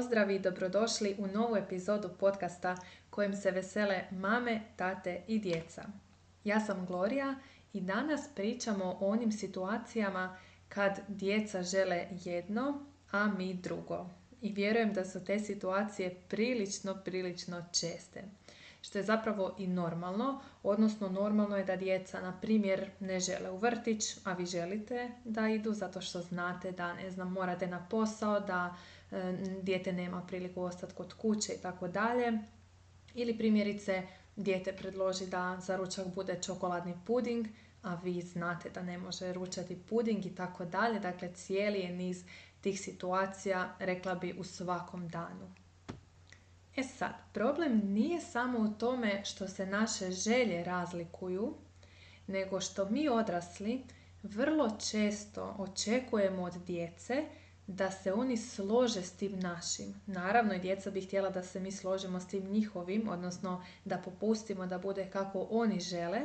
pozdrav i dobrodošli u novu epizodu podcasta kojim se vesele mame, tate i djeca. Ja sam Gloria i danas pričamo o onim situacijama kad djeca žele jedno, a mi drugo. I vjerujem da su te situacije prilično česte. Što je zapravo i normalno, odnosno normalno je da djeca, na primjer, ne žele u vrtić, a vi želite da idu zato što znate da, morate na posao, da dijete nema priliku ostati kod kuće i tako dalje. Ili primjerice, dijete predloži da za ručak bude čokoladni puding, a vi znate da ne može ručati puding i tako dalje. Dakle, cijeli je niz tih situacija, rekla bi, u svakom danu. E sad, problem nije samo u tome što se naše želje razlikuju, nego što mi odrasli vrlo često očekujemo od djece da se oni slože s tim našim. Naravno, i djeca bi htjela da se mi složimo s tim njihovim, odnosno da popustimo da bude kako oni žele,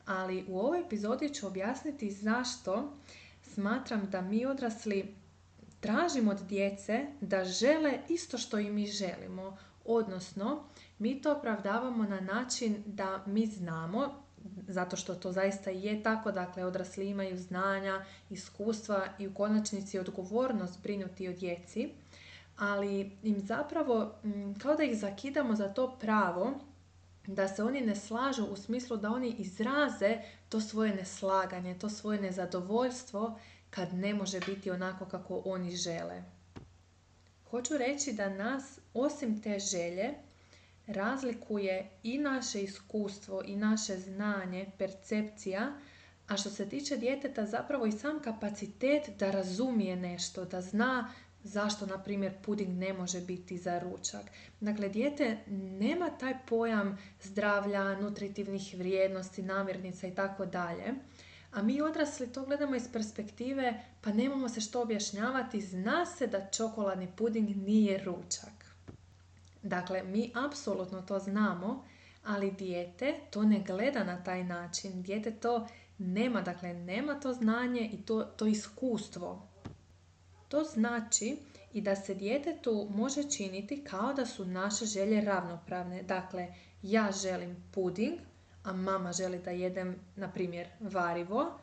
ali u ovoj epizodi ću objasniti zašto smatram da mi odrasli tražimo od djece da žele isto što i mi želimo. Odnosno, mi to opravdavamo na način da mi znamo, zato što to zaista je tako, dakle odrasli imaju znanja, iskustva i u konačnici odgovornost brinuti o djeci, ali im zapravo kao da ih zakidamo za to pravo da se oni ne slažu u smislu da oni izraze to svoje neslaganje, to svoje nezadovoljstvo kad ne može biti onako kako oni žele. Hoću reći da nas, osim te želje, razlikuje i naše iskustvo i naše znanje, percepcija, a što se tiče djeteta zapravo i sam kapacitet da razumije nešto, da zna zašto, na primjer, puding ne može biti za ručak. Dakle, dijete nema taj pojam zdravlja, nutritivnih vrijednosti, namirnica i tako dalje. A mi odrasli to gledamo iz perspektive, pa nemamo se što objašnjavati, zna se da čokoladni puding nije ručak. Dakle, mi apsolutno to znamo, ali dijete to ne gleda na taj način. Dijete to nema, dakle nema to znanje i to iskustvo. To znači i da se djetetu može činiti kao da su naše želje ravnopravne. Dakle, ja želim puding, a mama želi da jedem, na primjer, varivo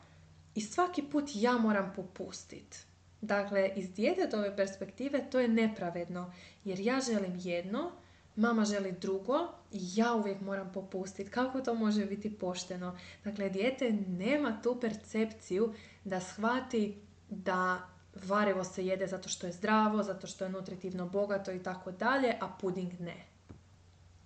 i svaki put ja moram popustiti. Dakle, iz djetetove perspektive to je nepravedno, jer ja želim jedno, mama želi drugo i ja uvijek moram popustiti. Kako to može biti pošteno? Dakle, dijete nema tu percepciju da shvati da varivo se jede zato što je zdravo, zato što je nutritivno bogato i tako dalje, a puding ne.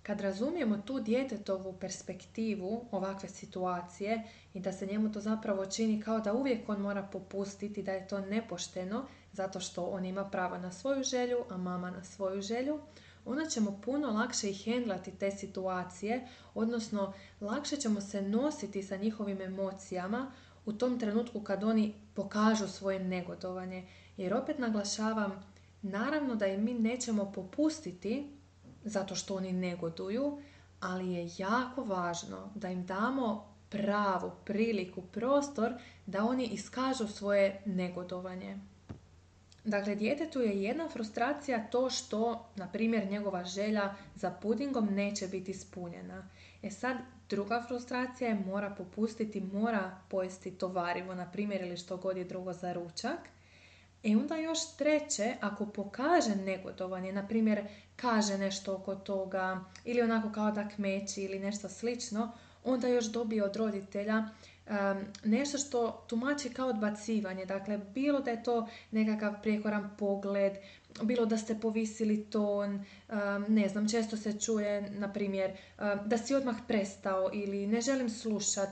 Kad razumijemo tu djetetovu perspektivu ovakve situacije i da se njemu to zapravo čini kao da uvijek on mora popustiti, da je to nepošteno zato što on ima pravo na svoju želju, a mama na svoju želju, onda ćemo puno lakše i hendlati te situacije, odnosno lakše ćemo se nositi sa njihovim emocijama u tom trenutku kad oni pokažu svoje negodovanje. Jer opet naglašavam, naravno da i mi nećemo popustiti zato što oni negoduju, ali je jako važno da im damo pravu priliku, prostor da oni iskažu svoje negodovanje. Dakle, djetetu je jedna frustracija to što, na primjer, njegova želja za pudingom neće biti ispunjena. E sad, druga frustracija je mora popustiti, mora pojesti to varivo, na primjer, ili što god je drugo za ručak. I onda još treće, ako pokaže negodovanje, na primjer kaže nešto oko toga ili onako kao da kmeći ili nešto slično, onda još dobije od roditelja nešto što tumači kao odbacivanje. Dakle, bilo da je to nekakav prijekoran pogled, bilo da ste povisili ton, ne znam, često se čuje, na primjer, da si odmah prestao ili ne želim slušat.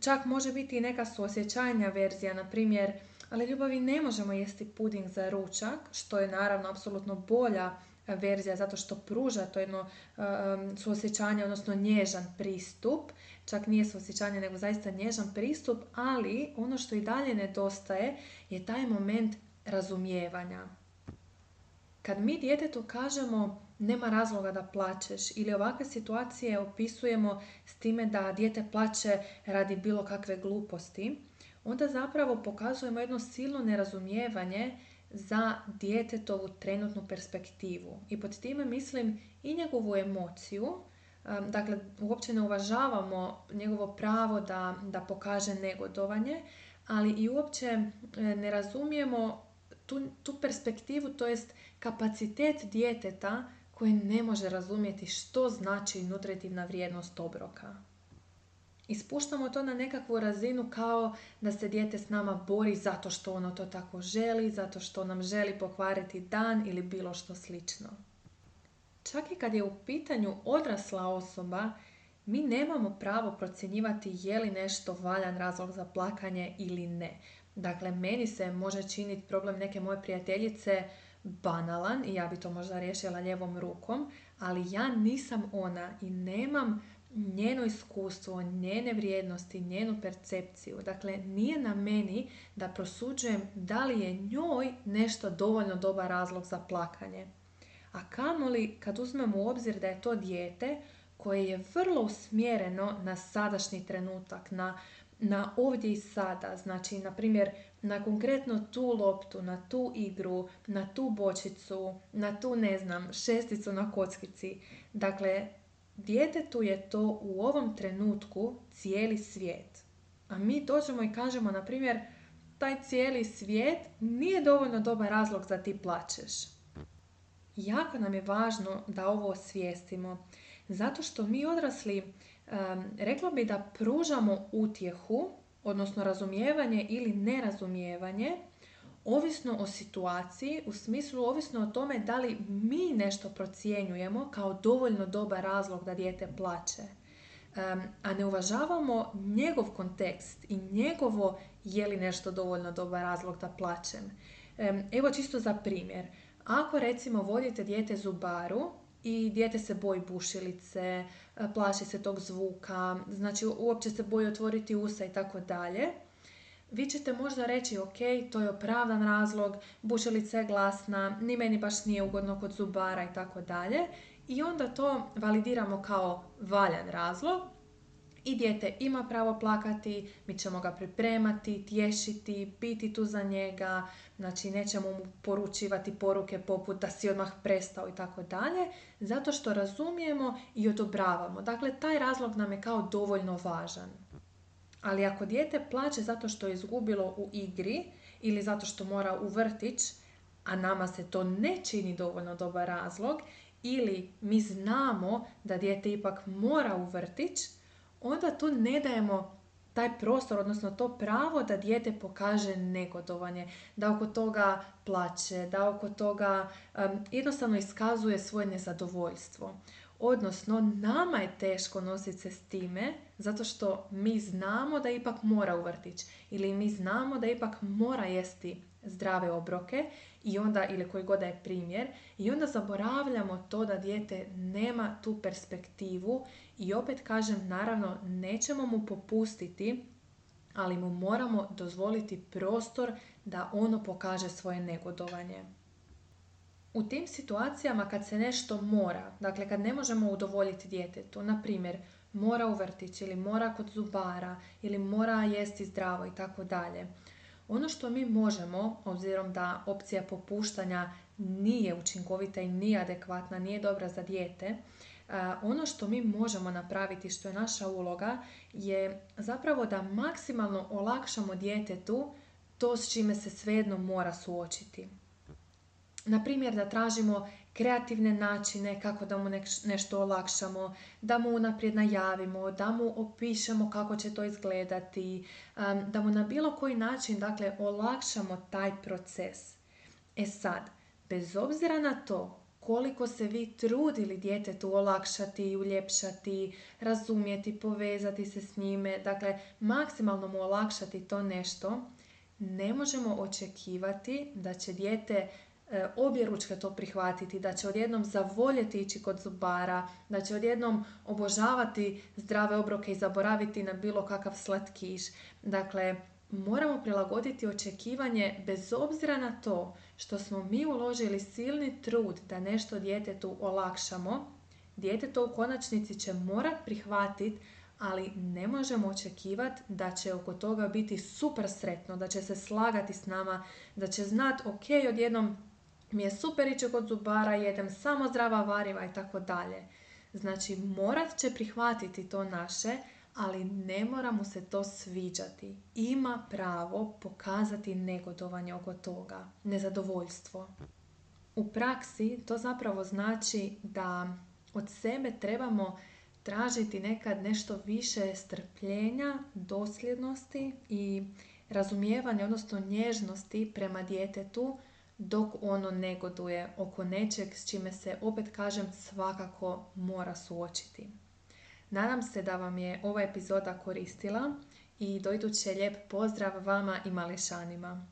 Čak može biti i neka suosjećajnija verzija, na primjer, ali ljubavi ne možemo jesti puding za ručak, što je naravno apsolutno bolja verzija zato što pruža to jedno suosjećanje, odnosno nježan pristup. Čak nije suosjećanje nego zaista nježan pristup, ali ono što i dalje nedostaje je taj moment razumijevanja. Kad mi djetetu kažemo nema razloga da plačeš ili ovakve situacije opisujemo s time da dijete plače radi bilo kakve gluposti, onda zapravo pokazujemo jedno silno nerazumijevanje za djetetovu trenutnu perspektivu. I pod time mislim i njegovu emociju, dakle uopće ne uvažavamo njegovo pravo da pokaže negodovanje, ali i uopće ne razumijemo tu perspektivu, to jest kapacitet djeteta koje ne može razumjeti što znači nutritivna vrijednost obroka. I spuštamo to na nekakvu razinu kao da se dijete s nama bori zato što ono to tako želi, zato što nam želi pokvariti dan ili bilo što slično. Čak i kad je u pitanju odrasla osoba, mi nemamo pravo procjenjivati je li nešto valjan razlog za plakanje ili ne. Dakle, meni se može činiti problem neke moje prijateljice banalan i ja bi to možda riješila lijevom rukom, ali ja nisam ona i nemam njeno iskustvo, njene vrijednosti, njenu percepciju. Dakle, nije na meni da prosuđujem da li je njoj nešto dovoljno dobar razlog za plakanje. A kamoli kad uzmemo u obzir da je to dijete koje je vrlo usmjereno na sadašnji trenutak, na ovdje i sada. Znači, na primjer, na konkretno tu loptu, na tu igru, na tu bočicu, na tu, šesticu na kockici. Dakle, djetetu je to u ovom trenutku cijeli svijet. A mi dođemo i kažemo, na primjer, taj cijeli svijet nije dovoljno dobar razlog da ti plačeš. Jako nam je važno da ovo osvijestimo, zato što mi odrasli, rekla bi da pružamo utjehu, odnosno razumijevanje ili nerazumijevanje, ovisno o situaciji, u smislu ovisno o tome da li mi nešto procjenjujemo kao dovoljno dobar razlog da dijete plače, a ne uvažavamo njegov kontekst i njegovo je li nešto dovoljno dobar razlog da plačem. Evo čisto za primjer. Ako recimo vodite dijete zubaru i dijete se boji bušilice, plaši se tog zvuka, znači uopće se boji otvoriti usta i tako dalje, vi ćete možda reći ok, to je opravdan razlog, bušilica je glasna, ni meni baš nije ugodno kod zubara i tako dalje, i onda to validiramo kao valjan razlog i dijete ima pravo plakati, mi ćemo ga pripremati, tješiti, biti tu za njega, znači nećemo mu poručivati poruke poput da si odmah prestao i tako dalje, zato što razumijemo i odobravamo. Dakle, taj razlog nam je kao dovoljno važan. Ali ako dijete plače zato što je izgubilo u igri ili zato što mora u vrtić, a nama se to ne čini dovoljno dobar razlog, ili mi znamo da dijete ipak mora u vrtić, onda tu ne dajemo taj prostor, odnosno to pravo da dijete pokaže negodovanje, da oko toga plače, da oko toga jednostavno iskazuje svoje nezadovoljstvo. Odnosno, nama je teško nositi se s time, zato što mi znamo da ipak mora u vrtić ili mi znamo da ipak mora jesti zdrave obroke i onda, ili koji god da je primjer, i onda zaboravljamo to da dijete nema tu perspektivu i opet kažem, naravno, nećemo mu popustiti, ali mu moramo dozvoliti prostor da ono pokaže svoje negodovanje. U tim situacijama kad se nešto mora, dakle kad ne možemo udovoljiti djetetu, na primjer mora u vrtić ili mora kod zubara ili mora jesti zdravo i tako dalje, ono što mi možemo, obzirom da opcija popuštanja nije učinkovita i nije adekvatna, nije dobra za dijete, ono što mi možemo napraviti, što je naša uloga, je zapravo da maksimalno olakšamo djetetu to s čime se svejedno mora suočiti. Na primjer, da tražimo kreativne načine kako da mu nešto olakšamo, da mu unaprijed najavimo, da mu opišemo kako će to izgledati, da mu na bilo koji način, dakle, olakšamo taj proces. E sad, bez obzira na to koliko se vi trudili djetetu olakšati, uljepšati, razumjeti, povezati se s njime, dakle, maksimalno mu olakšati to nešto, ne možemo očekivati da će dijete objeručke to prihvatiti, da će odjednom zavoljeti ići kod zubara, da će odjednom obožavati zdrave obroke i zaboraviti na bilo kakav slatkiš. Dakle, moramo prilagoditi očekivanje bez obzira na to što smo mi uložili silni trud da nešto djetetu olakšamo. Dijete to u konačnici će morati prihvatiti ali ne možemo očekivati da će oko toga biti super sretno, da će se slagati s nama, da će znati ok, odjednom mi je super ići kod zubara, jedem samo zdrava variva i tako dalje. Znači, morat će prihvatiti to naše, ali ne mora mu se to sviđati. Ima pravo pokazati negodovanje oko toga, nezadovoljstvo. U praksi to zapravo znači da od sebe trebamo tražiti nekad nešto više strpljenja, dosljednosti i razumijevanja, odnosno nježnosti prema djetetu dok ono negoduje oko nečeg s čime se, opet kažem, svakako mora suočiti. Nadam se da vam je ova epizoda koristila i do iduće lijep pozdrav vama i mališanima.